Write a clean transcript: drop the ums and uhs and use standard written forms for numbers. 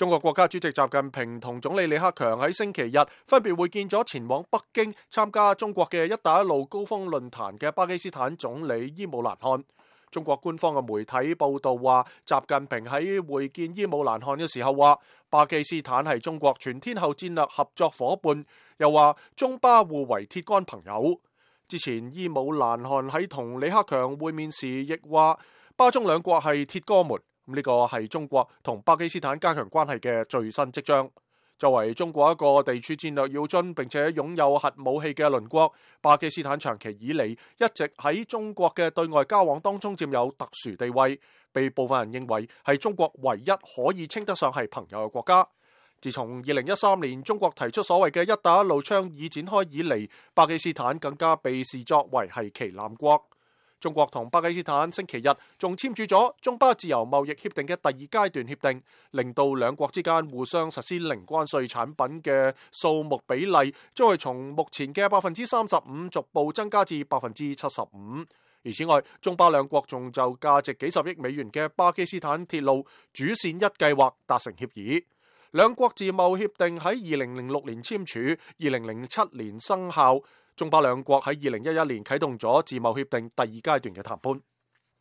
中國國家主席習近平同總理李克強喺星期日分別會見咗前往北京參加中國嘅一帶一路高峰論壇嘅巴基斯坦總理伊姆蘭汗。中國官方嘅媒體報道話，習近平喺會見伊姆蘭汗嘅時候話，巴基斯坦係中國全天候戰略合作夥伴，又話中巴互為鐵桿朋友。之前伊姆蘭汗喺同李克強會面時亦話，巴中兩國係鐵哥們。呢個係中國同巴基斯坦加強關係嘅最新跡象。作為中國一個地處戰略要津並且擁有核武器嘅鄰國，巴基斯坦長期以嚟一直喺中國嘅對外交往當中佔有特殊地位，被部分人認為係中國唯一可以稱得上係朋友嘅國家。自從2013年中國提出所謂嘅一帶一路倡議展開以嚟，巴基斯坦更加被視作為係旗艦國。中國同巴基斯坦星期日仲簽署咗中巴自由貿易協定嘅第二階段協定，令到兩國之間互相實施零關稅產品嘅數目比例，將會從目前嘅35%逐步增加至75%。而此外，中巴兩國仲就價值幾十億美元嘅巴基斯坦鐵路主線一計劃達成協議。兩國自貿協定喺2006年簽署，2007年生效。中巴兩國喺2011年啟動咗自貿協定第二階段嘅談判。